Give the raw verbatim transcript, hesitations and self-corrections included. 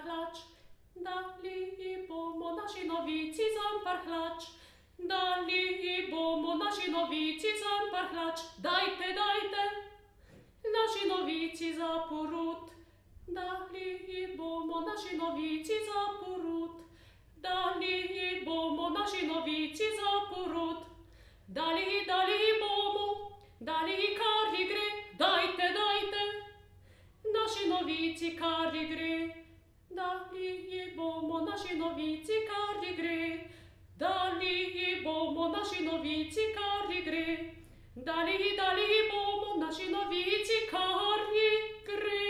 зампархлач, далі бомо наші новіці зампархлач, далі бомо наші новіці зампархлач, дайте, дайте, наші новіці запорут, далі бомо наші новіці запорут, далі бомо наші новіці запорут, далі, далі бомо, далі карі гри, дайте, дайте, наші новіці карі гри, далі бомо наші новіці карі гри, далі бомо наші новіці карі гри, далі, далі бомо наші новіці карі гри.